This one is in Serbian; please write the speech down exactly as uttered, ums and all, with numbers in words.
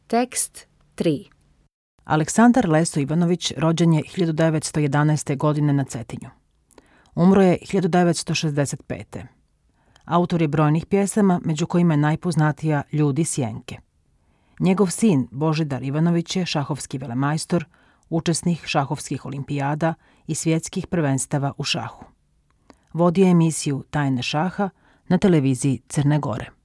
Tekst tri. Aleksandar Leso Ivanović rođen je hiljadu devetsto jedanaeste. godine na Cetinju. Umro je hiljadu devetsto šezdeset pete. Autor je brojnih pjesama, među kojima je najpoznatija Ljudi sjenke. Njegov sin Božidar Ivanović je šahovski velemajstor, učesnik šahovskih olimpijada i svjetskih prvenstava u šahu. Vodio je emisiju Tajne šaha na televiziji Crne Gore.